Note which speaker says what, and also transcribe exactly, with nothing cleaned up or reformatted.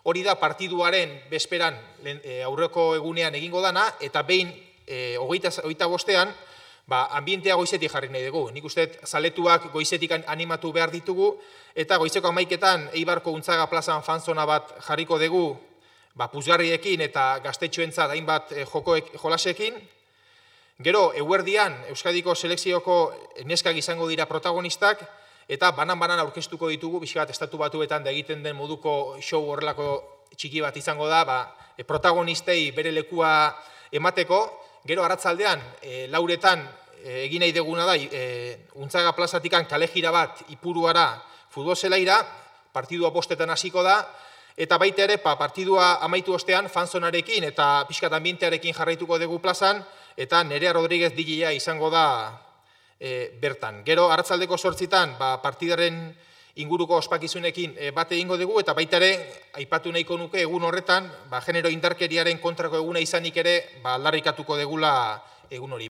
Speaker 1: hori da partiduaren bezperan aurreko egunean egingo dana, eta behin hogeita bostean, ambientea goizetik jarri nahi dugu. Nik uste zaletuak goizetik animatu behar ditugu, eta goizeko amaiketan Eibarko Untzaga plazan fanzona bat jarriko dugu, puzgarriekin eta gaztetxoentzat hainbat jolasekin. Gero, eguerdian, Euskadiko selekzioko neskak izango dira protagonistak, eta banan-banan aurkeztuko ditugu, bizkat estatu batuetan da egiten den moduko show horrelako txiki bat izango da, protagonistei bere lekua emateko. Gero, arratzaldean, lauretan egin nahi deguna da, Untzaga plazatikan kalejira bat Ipuruara futbol zelaira, partidua bostetan hasiko da, eta baita ere, partidua amaitu ostean, fanzonarekin eta pixkat ambientearekin jarraituko dugu plazan, eta Nerea Rodríguez D J-a izango da bertan. Gero, arratzaldeko sortzitan, partidaren inguruko ospakizunekin bat egingo dugu, eta baita ere, aipatu nahiko nuke egun horretan, genero indarkeriaren kontrako eguna izanik ere, aldarrikatuko dugula egun hori.